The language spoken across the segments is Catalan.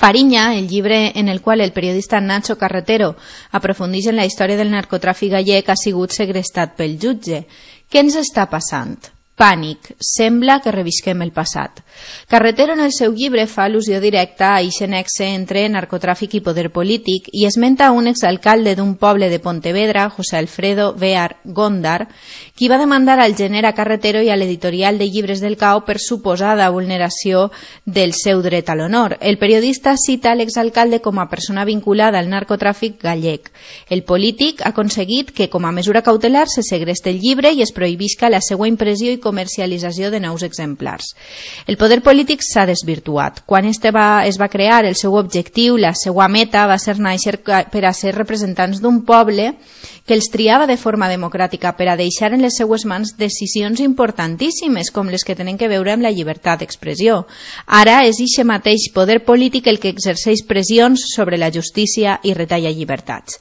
Fariña, el llibre en el qual el periodista Nacho Carretero aprofundeix en la història del narcotràfic gallec, ha sigut segrestat pel jutge. Què ens està passant? Pànic. Sembla que revisquem el passat. Carretero en el seu llibre fa al·lusió directa a eixe nexe entre narcotràfic i poder polític i esmenta un exalcalde d'un poble de Pontevedra, José Alfredo Bear Góndar, qui va demandar al gener a Carretero i a l'editorial de llibres del CAO per suposada vulneració del seu dret a l'honor. El periodista cita l'exalcalde com a persona vinculada al narcotràfic gallec. El polític ha aconseguit que, com a mesura cautelar, se segreste el llibre i es prohibisca la seva impressió i comercialització de nous exemplars. El poder polític s'ha desvirtuat. Quan es va crear, el seu objectiu, la seva meta, va ser néixer per a ser representants d'un poble que els triava de forma democràtica per a deixar en les seues mans decisions importantíssimes com les que tenen que veure amb la llibertat d'expressió. Ara és eixe mateix poder polític el que exerceix pressions sobre la justícia i retalla llibertats.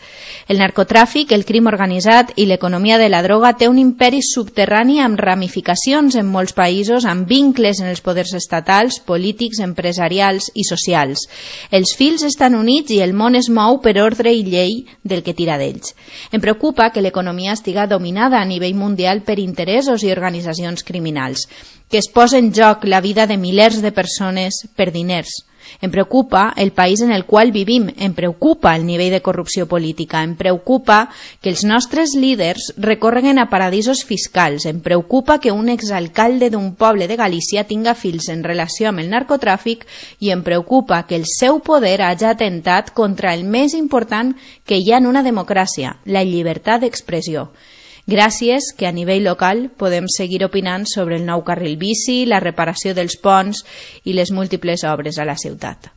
El narcotràfic, el crim organitzat i l'economia de la droga té un imperi subterrani amb ramificacions en molts països, amb vincles en els poders estatals, polítics, empresarials i socials. Els fils estan units i el món es mou per ordre i llei del que tira d'ells. Em preocupa que l'economia estiga dominada a nivell mundial per interessos i organitzacions criminals, que es posa en joc la vida de milers de persones per diners. Em preocupa el país en el qual vivim, em preocupa el nivell de corrupció política, em preocupa que els nostres líders recorreguen a paradisos fiscals, em preocupa que un exalcalde d'un poble de Galícia tinga fils en relació amb el narcotràfic i em preocupa que el seu poder hagi atentat contra el més important que hi ha en una democràcia, la llibertat d'expressió. Gràcies que a nivell local podem seguir opinant sobre el nou carril bici, la reparació dels ponts i les múltiples obres a la ciutat.